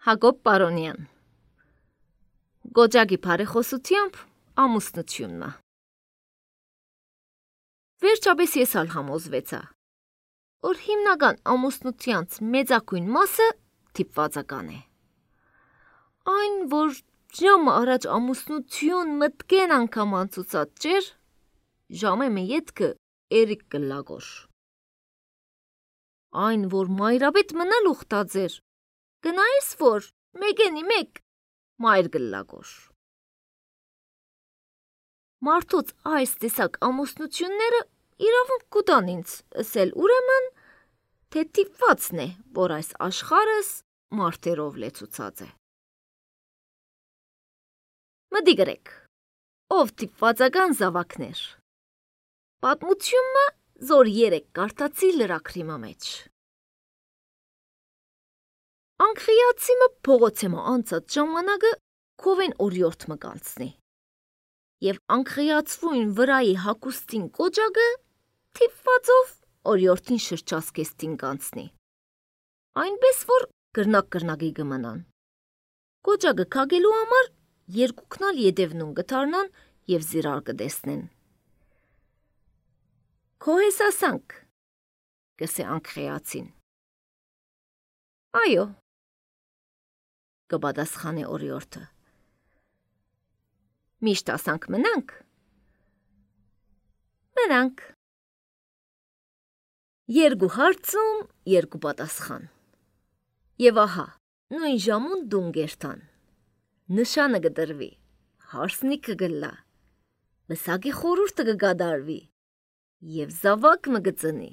Հակոբ Պարոնյան Գոջակի բարեխոսությամբ ամուսնությունը Վերջապես ես ալ համոզվեցա, որ հիմնական ամուսնությանց մեծակույն մասը թիպվածական է։ Այն, որ ժամը առաջ ամուսնություն մտկեն անգամ անցուցած ճեր, ժամը մե ետքը էրիկ կլագոր։ Այն, որ մայրապետ մնալ ուխտաձեր, գնայիս, որ մեկենի մեկ մայր գլագոր։ Մարդոց այս տեսակ ամուսնությունները իրավունք կուտան ինձ ասել ուրեմն, թե թիպվածն է, որ այս աշխարհս մարդերով լեցուցած է։ Մտի գրեք, ով թիպվածական զավակներ։ Պատմությունը զոր երեք կարդացի լրակրի մեջ։ Անկրիացիմը փողոցեմը անցած ժամանակը քովեն օրիորդ մկանցնի։ Եվ անկրիացվույն վրայի հակուստին կոջակը թիպվածով օրիորդին շրջասկեստին կանցնի։ Այնպես, որ գրնակ-գրնակի գմնան։ Կոջակը կագելու համար երկուքնալ ետևնուն գթարնան և զիրար կտեսնեն։ Քո հեսասանք, կսե անկրիացին։ Այո, կպատասխանե օրիորդը։ Միշտ ասանք մնանք։ Մնանք։ Երկու հարցում, երկու պատասխան։ Եվ ահա, նույն ժամուն դուն գերտան։ Նշանը կդրվի, հարսնիքը գլա, վսակի խորուրդը կգադարվի, և զավակ մը գծնի։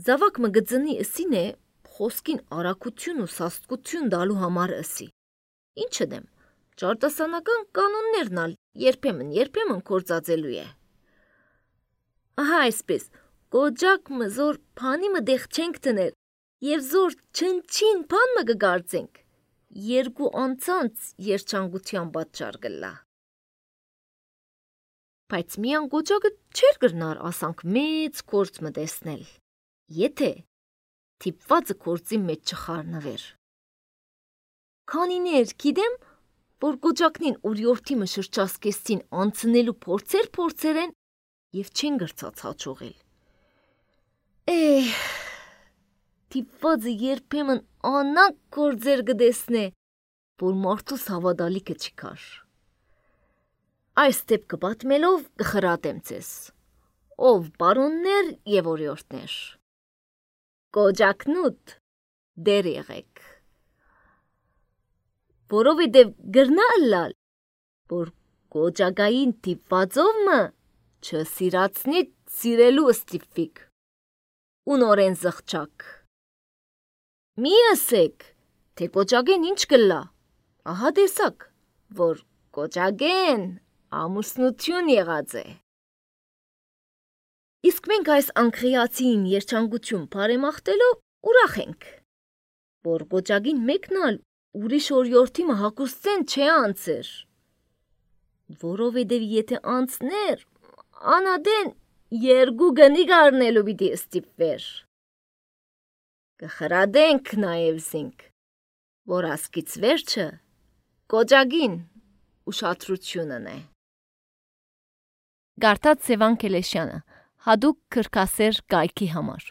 Զավակ մը գծնի ըսին է, խոսքին արագություն ու սաստկություն դալու համար ըսի։ Ինչը դեմ, ճարտասանական կանոններն ալ երբեմն կործածելու է։ Ահա այսպես, կոջակ մը զոր պանի մը դեղ չենք տներ, և զոր չնչին պան մը կգարձենք, երկու անցանց երջանկության պատճառ կլա։ Բայց միան կոջակը չեր գրնար ասանք մեծ կորց մը տեսնել, եթե թիպվածը կործի մեջ չխարնվեր։ Քանիներ գիտեմ, որ կոջակնին օրիորդի մը շրջասկեստին անցնելու փորձեր են և չեն գրծած հաճողել։ Թիպվածը երբեմն անանք գործեր կտեսնե, որ մարդուս հավատալիքը չի կար։ Այս դեպքը պատմելով կխրատեմ ձեզ, ով պարոններ և օրիորդներ։ Կոջակնուտ դեր եղեք, որովհետև գրնա ըլլալ, որ կոջակային թիպվածով մը չսիրացնի սիրելու ստիպվիք, ունորեն զղջակ։ Մի ասեք, թե կոջակեն ինչ կլա, ահա տեսակ, որ կոջակեն ամուսնություն եղած է։ Իսկ մենք այս անկրիացին երջանկություն բարեմաղթելով ուրախ ենք, որ կոջակին մեկնալ ուրիշ օրիորդի մը հակուստեն չէ անցեր, որովհետև եթե անցներ, անադեն երկու գնի գարնելու պիտի ստիպվեր։ Կխրադենք նաև զինք, որ ասկից վերջը կոջակին ուշադրությունն է։ Գարտած Սևան Քելեշյանը, հատուկ քրքասեր կայքի համար։